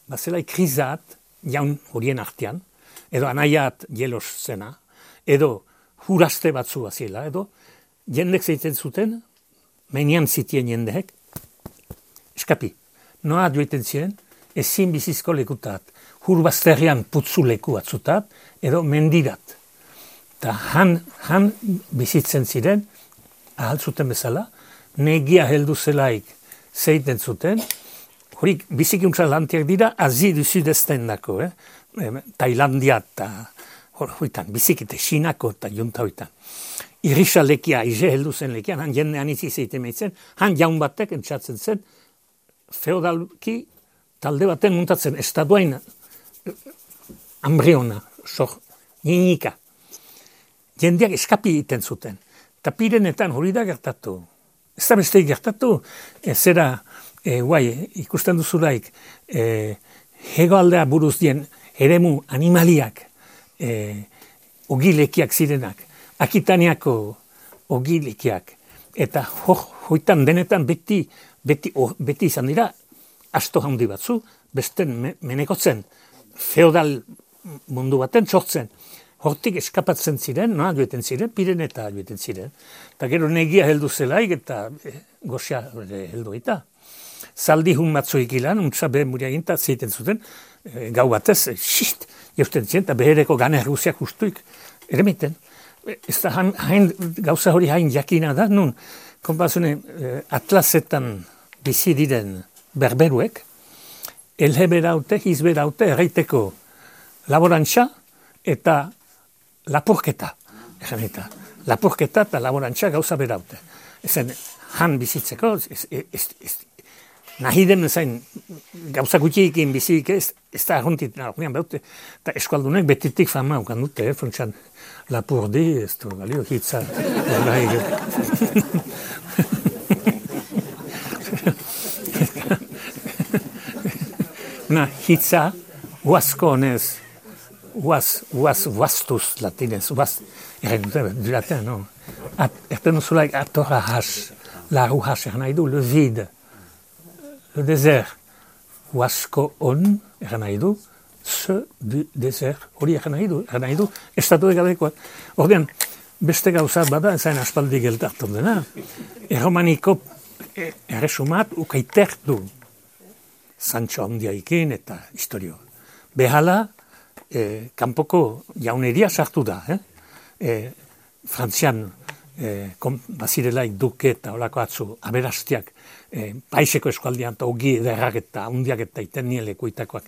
bazelaik krizat jaun horien artean, edo anaiat jelos zena, edo huraste batzu bazila, edo jendek zeiten zuten, menian zitien jendeek, eskapi, noa joiten ziren, ezin bizizko lekutat, hurbazterrian putzu leku batzutat, edo mendirat. Eta han, han bizitzen ziren, ahaltzuten bezala, negia heldu zelaik zeiten zuten, horik bizikiuntza lantiak dira, azidu zidezten dako, eh? Tailandia eta hoitan, bizikite, Xinako eta junta hoitan. Irisa lekia, ize heldu zen lekian, han jendean izi zeite meitzen, han jaun batek entzatzen zen, feodalki talde baten muntatzen, estaduain ambriona, sor, ninika. Jendeak eskapi egiten zuten. Eta pirenetan hori da gertatu. Ez da beste gertatu, e, zera, e, guai, ikusten duzulaik, e, hegoaldea buruz dien, eremu animaliak, e, ogilekiak zirenak, Akitaniako ogilekiak, eta ho, hoitan denetan beti, beti, oh, beti izan dira, asto handi batzu, besten me, menekotzen, feodal mundu baten sortzen. Hortik eskapatzen ziren, noa joeten ziren, Pireneta joeten ziren. Eta gero negia heldu zelaik eta e, goxia heldu eta. Zaldi hun batzuik ilan, untsa behe muria ginta zeiten zuten, e, gau batez, e, xist, jausten ziren, eta behereko gane rusiak ustuik eremiten. E, ez da hain, hain, gauza hori hain jakina da, nun, konpazune, e, atlasetan bizi diren berberuek, elhe beraute, hiz beraute, erraiteko laborantza eta lapurketa, eta lapurketa eta laborantza gauza beraute. Ezen, han bizitzeko, ez, ez, ez, nahi den zain gauza gutxiekin bizik ez, ez da arruntit nagoean behaute, eta eskualdunek betitik fama ukan dute, eh, fontxan lapurdi, ez du, galio, hitza, na, hitza, huasko honez, Huaz, huaz, huaztuz latinez, huaz, erren dute, du latin, no? Erten zulaik atorra has, laru has, erren nahi du, le vide, le désert, huazko on, erren nahi du, ce du désert, hori erren nahi du, erren nahi du, estatu egadekoak. Ordean, beste gauza bada, zain aspaldi geltartan dena, erromaniko erresumat ukaiter du, Sancho handiaikin eta historio. Behala, E, kanpoko jauneria sartu da, eh? E, Frantzian e, bazirelaik duke eta olako atzu aberastiak e, paiseko eskualdian eta ogi ederrak eta hundiak eta iten nielekuitakoak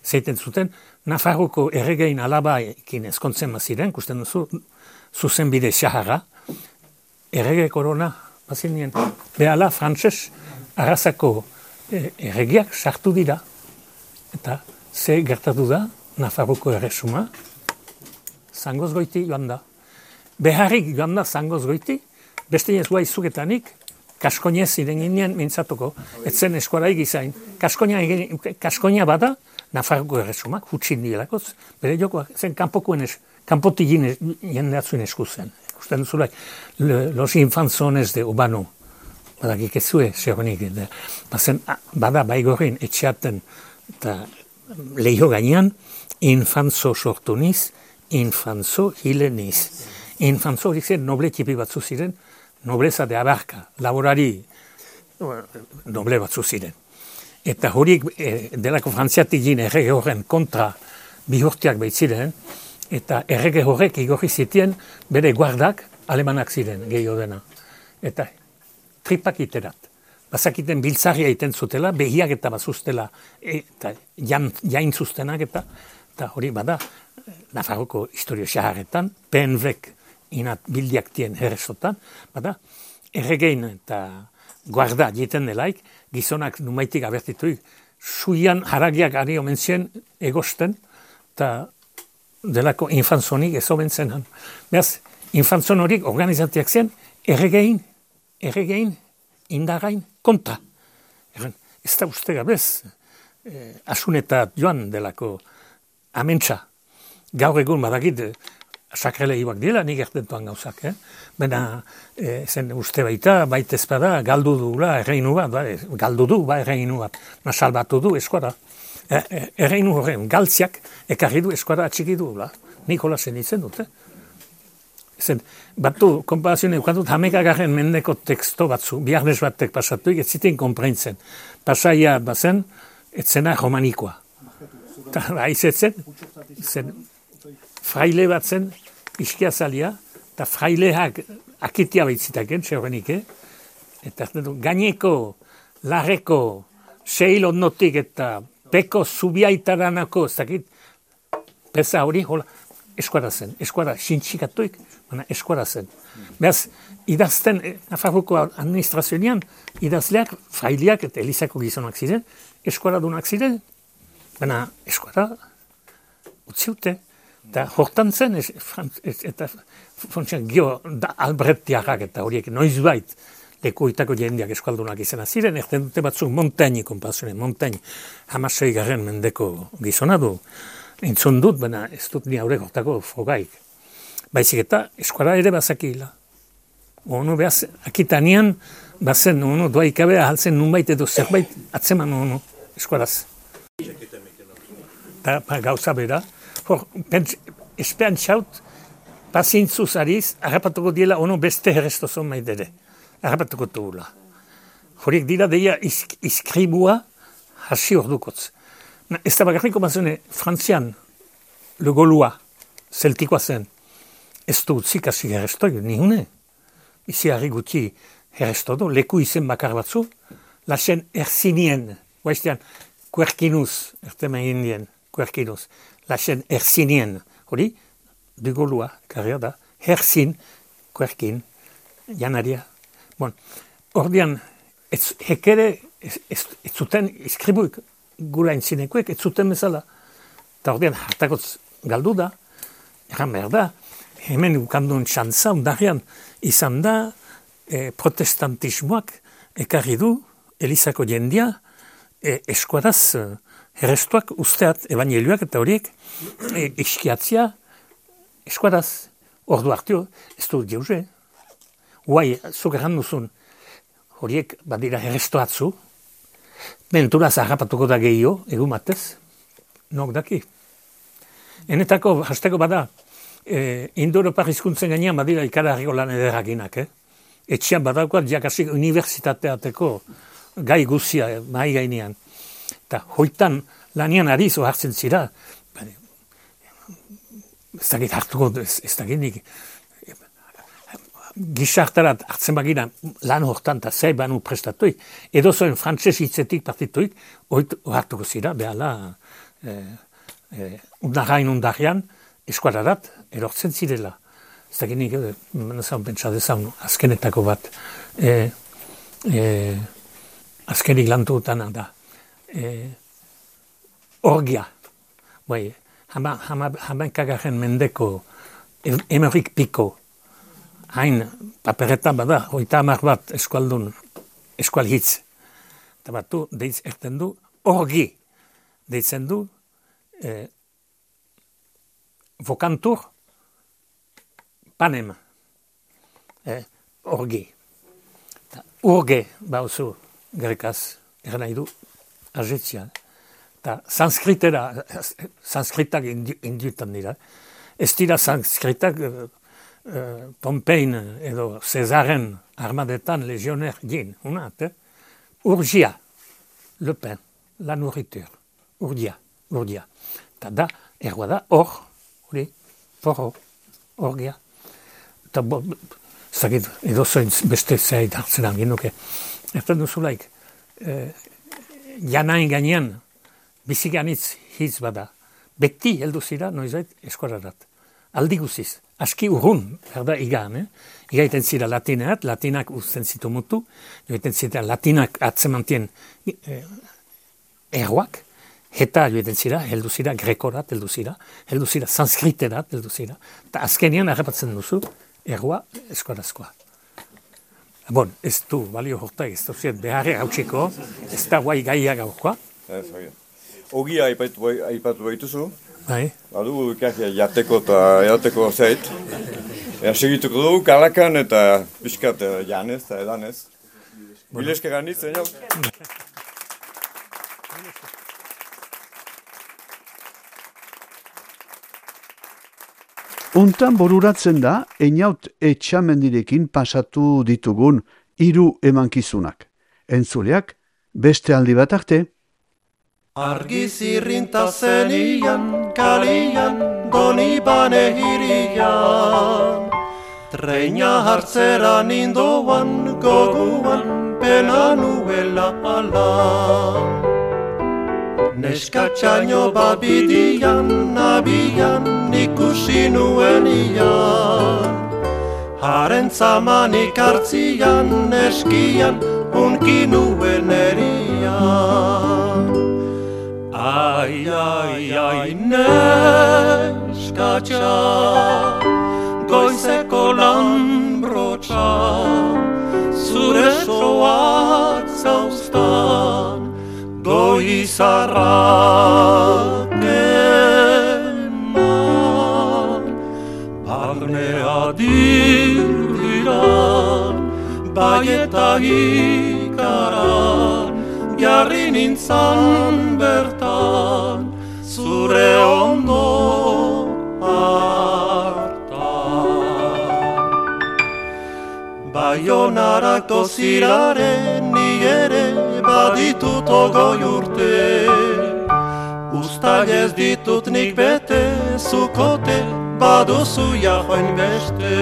zeiten zuten, Nafarroko erregein alabaekin ezkontzen baziren, kusten duzu, zuzen bide xaharra, errege korona bazirien, behala frantses arrazako e, erregiak sartu dira, eta ze gertatu da, Nafarroko erresuma, zangoz goiti joan da. Beharrik joan da zangoz goiti, beste ez guai zugetanik, kaskoinez iren ginen mintzatuko, etzen eskuara egizain. Kaskoina bada, Nafarroko erresuma, hutsin dielakoz, bere jokoak, zen kanpokoen es, kanpotik jendeatzuen esku zen. Usten duzulak, los infanzones de Obano, badakik ez zue, zehonik, bada baigorrin etxeaten, eta lehiho gainean, infanzo sortu niz, infanzo hile niz. Infanzo hori zen noble tipi batzu ziren, nobleza de abarka, laborari noble batzu ziren. Eta horiek e, delako frantziatik gine errege horren kontra bihurtiak baitziren, eta errege horrek igorri zitien bere guardak alemanak ziren gehiago dena. Eta tripak iterat. Bazakiten biltzarria egiten zutela, behiak eta bazuztela, eta jain, jain zuztenak eta, eta hori bada, Nafarroko historio xaharretan, P N V-ek inat bildiaktien herresotan, bada, erregein eta guarda jiten delaik, gizonak numaitik abertituik, suian haragiak ari omen zien egosten, eta delako infanzonik ez omen zen. Beraz, infanzon horik organizatiak zen, erregein, erregein, indarrain, kontra. Ez da uste gabez, eh, asunetat joan delako amentsa. Gaur egun badakit, sakreleioak dira, nik ertentuan gauzak. Eh? Bena, eh, zen uste baita, baita ezpada, galdu dula erreinu bat, ba, galdu du, ba, erreinu bat, salbatu du eskuara. Eh, erreinu horren galtziak, ekarri du eskuara atxiki du, ba. Nikola zen itzen dute. Zen, batu, konparazioen eukatut, hamekagarren mendeko teksto batzu, biharnes batek pasatuik, ez ziten konprentzen. Pasaia bazen, etzena romanikoa. Eta aizetzen, zen, fraile bat zen, iskia zalia, eta fraileak akitia baitzitaken, txerrenik, eta gaineko, larreko, seil onnotik eta peko zubiaitaranako, ez dakit, peza hori, hola, eskuara zen, eskuara xintxikatuik, baina eskuara zen. Beraz, idazten, Nafarroko administrazioan, idazleak, fraileak eta elizako gizonak ziren, eskuara dunak ziren, baina eskuara utziute. Eta hortan zen, es, es, eta fontxan gio da Albretiarrak eta horiek noizbait lekuitako jendeak eskualdunak izena ziren, erten dute batzuk Montaigne konpazioen, Montaigne hamasei garren mendeko gizona du, entzun dut, baina ez dut ni haurek hortako frogaik. Baizik eta eskuara ere bazakila. Ono behaz, akitanean, bazen, ono doaikabe ahaltzen nunbait edo zerbait atzeman ono. eskuaraz. Eta ba, gauza bera, hor, espean txaut, pazientzuz ariz, harrapatuko diela ono beste herrestozon maidere. Harrapatuko dugula. Horiek dira deia isk, iskribua hasi ordukotz. Ez da bakarriko bazene, Frantzian, Le Gaullois, zeltikoa zen, ez du utzik hasi herrestoi, nihune. Izi harri guti herrestodo, leku izen bakar batzu, lasen erzinien, guaiztean, kuerkinuz, ertemen indien, kuerkinuz, lasen erzinien, hori, Du Gaullois, karria da, herzin, kuerkin, janaria. Bon, ordean, ez, hekere, ez, ez, ez zuten iskribuik, gura intzinekuek, ez zuten bezala. Eta ordean, hartakotz galdu da, erran behar da, hemen ukandun txantza, undarrian, izan da, e, protestantismoak ekarri du, Elizako jendia, e, eskuaraz, e, herrestuak usteat, evangelioak eta horiek, e, iskiatzia, eskuaraz, ordu hartio, ez du jauze. Guai, zuk erran duzun, horiek badira herrestoatzu, menturaz harrapatuko da gehiago, egun batez, nok daki. Enetako, hasteko bada, e, Indo-Europar hizkuntzen gainean badira ikaragarriko lan ederrakinak, eh? Etxean badaukoat jakasik unibertsitateateko gai guzia eh, mahi gainean. Eta hoitan lanian ariz hartzen zira, ez dakit hartuko, ez, ez dakit nik, gizartarat hartzen bagira lan hortan eta zei banu prestatuik, edo zoen frantses hitzetik partituik, oit hartuko zira, behala, e, e, undarrain undarrian, eskuararat, erortzen zirela. Ez dakit nik, menazan pentsa dezan, azkenetako bat, e, e, azkenik lantuutana da, e, orgia, bai, hama, hama, hamaikagarren mendeko emerik piko, hain paperetan bada, hoita hamar bat eskualdun, eskual hitz. Eta batu, deitz erten du, orgi, deitzen du, eh, vokantur, panem, eh, orgi. Ta, urge, bauzu, grekaz, erra nahi du, ajetzia. Eta sanskritera, sanskritak indutan dira. Ez dira sanskritak, Uh, Pompein edo Cesaren armadetan legioner gin, unat, eh? Urgia, le pain, la nourriture, urgia, urgia. Eta da, ergoa da, hor, hori, porro, orgia. Eta bo, zagit, edo zoin beste zeit hartzen angin nuke. Erten duzulaik, eh, janain gainean, biziganitz hitz bada, beti heldu zira, noizait, eskuararat. Aldi guziz. Aski urrun, berda igan, eh? Igaiten zira latineat, latinak uzten zitu mutu, joiten zira latinak atzemantien eh, erroak, eta joiten zira, heldu zira grekorat, heldu zira, heldu zira sanskriterat, heldu zira, eta azkenian arrepatzen duzu, erroa eskorazkoa. Bon, ez du, balio horta, ez du ziet beharre hautsiko, ez da guai gaia gaurkoa. Ogia aipatu baituzu. Bai. Badu ikarria jateko eta jateko zeit. Ea segituko dugu kalakan eta pixkat janez eta edanez. Bileske ganitz, eno? Untan boruratzen da, einaut etxamendirekin pasatu ditugun hiru emankizunak. Entzuleak, beste aldi bat arte. Argiz irrinta zenian, kalian, doni bane hirian. Treina hartzera nindoan, goguan, pena nuela alan. Neskatxaino babidian, abian, ikusi nuen ian. Haren zamanik hartzian, eskian, unki nuen erian. Ai, ai, ai, neskatxa, goizeko lanbrotxa, zure soak zauztan, goizarrak eman. Barnea dirdiran, bai eta ikaran, jarri nintzan bertan, zure ondo hartan. Baionarako ziraren ni ere baditut ogoi urte, uztail ez ditut nik bete, zukote baduzu jahoin beste.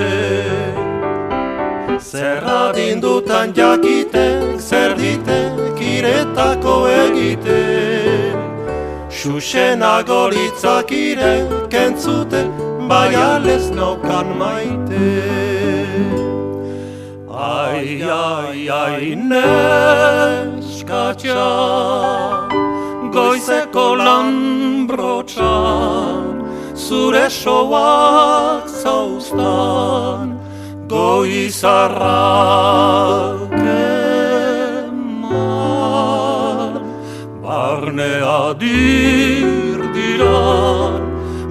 Zer adindutan jakitek, zer ditek iretako egiten, xuxenago litzakire kentzuten, bai alez naukan maite. Ai, ai, ai, neskatxa, goizeko lan brotxan, zure soak zauztan, goizarrak eman. Barnea dirdiran,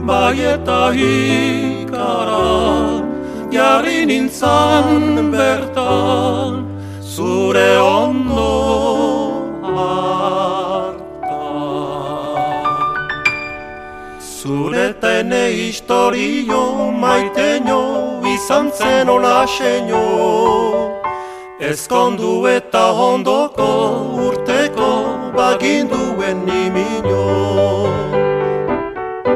bai eta hikaran, jarri nintzan bertan, zure ondo hartan. Zuretene historio maiteño, izan zen ola xeño, ezkondu eta ondoko urteko baginduen nimino.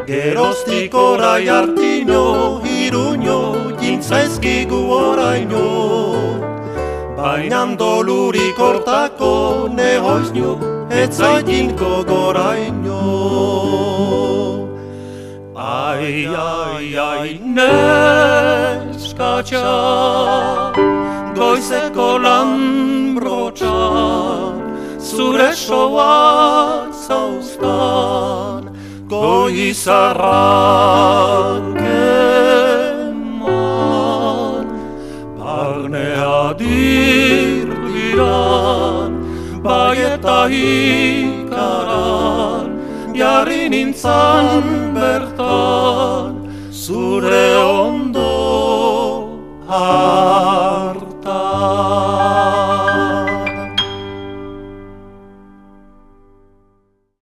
Geroztik orai hartino, iruño, jintzaizkigu oraino, bainan dolurik hortako nehoizno, etzaitinko goraino. Ai, ai, ai, neskatxa, goizeko lan brotxan, zure soak zauztan, goizarrak eman. Barnea dirdiran, bai eta hikaran, jarri nintzan bertan, zure ondo hartan.